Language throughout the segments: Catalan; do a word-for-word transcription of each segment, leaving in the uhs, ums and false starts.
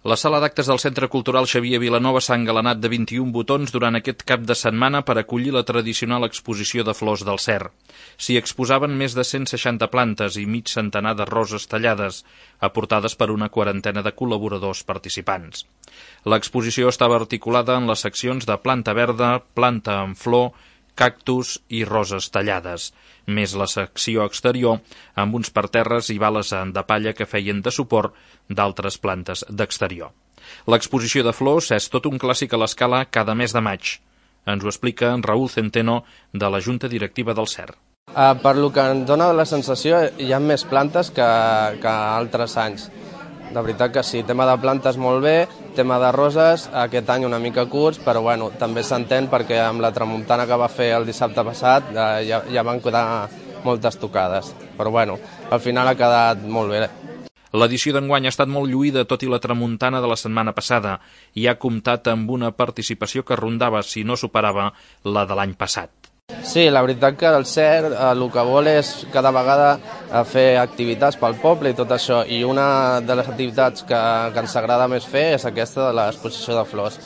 La sala d'actes del Centre Cultural Xavier Vilanova s'ha engalanat de vint-i-un botons durant aquest cap de setmana per acollir la tradicional exposició de flors del Cer. S'hi exposaven més de cent seixanta plantes i mig centenar de roses tallades, aportades per una quarantena de col·laboradors participants. L'exposició estava articulada en les seccions de planta verda, planta en flor, cactus i roses tallades, més la secció exterior amb uns parterres i bales de palla que feien de suport d'altres plantes d'exterior. L'exposició de flors és tot un clàssic a l'escala cada mes de maig. Ens ho explica en Raúl Centeno, de la Junta Directiva del Cer. Uh, per lo que ens dona la sensació, hi ha més plantes que, que altres anys. De veritat que sí, tema de plantes molt bé, tema de roses, aquest any una mica curts, però bueno, també s'entén perquè amb la tramuntana que va fer el dissabte passat eh, ja, ja van quedar moltes tocades. Però bueno, al final ha quedat molt bé. L'edició d'enguany ha estat molt lluïda, tot i la tramuntana de la setmana passada, i ha comptat amb una participació que rondava, si no superava, la de l'any passat. Sí, la veritat que el Cer eh, el que vol és cada vegada eh, fer activitats pel poble i tot això, i una de les activitats que, que ens agrada més fer és aquesta de l'exposició de flors.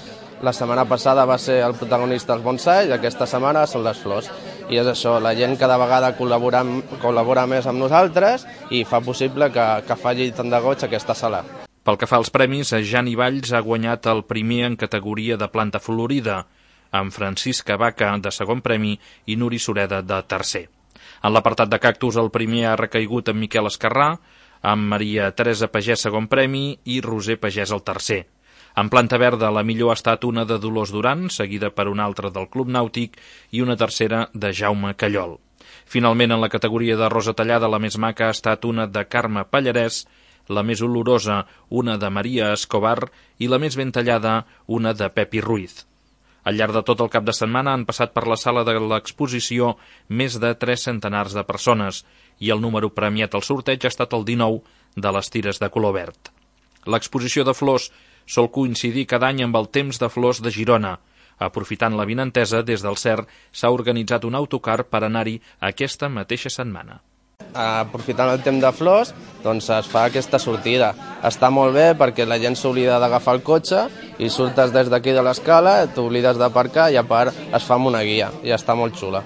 La setmana passada va ser el protagonista els bonsai i aquesta setmana són les flors. I és això, la gent cada vegada col·labora, col·labora més amb nosaltres i fa possible que, que falli tant de goig aquesta sala. Pel que fa als premis, Jani Valls ha guanyat el primer en categoria de planta florida, amb Francisca Vaca de segon premi i Nuri Sureda de tercer. En l'apartat de cactus el primer ha recaigut amb Miquel Esquerrà, amb Maria Teresa Pagès segon premi i Roser Pagès el tercer. En planta verda la millor ha estat una de Dolors Duran, seguida per una altra del Club Nàutic i una tercera de Jaume Callol. Finalment, en la categoria de rosa tallada, la més maca ha estat una de Carme Pallarès, la més olorosa una de Maria Escobar i la més ben tallada una de Pepi Ruiz. Al llarg de tot el cap de setmana han passat per la sala de l'exposició més de tres centenars de persones i el número premiat al sorteig ha estat el dinou de les tires de color verd. L'exposició de flors sol coincidir cada any amb el Temps de Flors de Girona. Aprofitant l'avinentesa, des del Cer s'ha organitzat un autocar per anar-hi aquesta mateixa setmana. Aprofitant el temps de flors, doncs es fa aquesta sortida. Està molt bé perquè la gent s'oblida d'agafar el cotxe i surtes des d'aquí de l'escala, t'oblides d'aparcar i a part es fa amb una guia i està molt xula.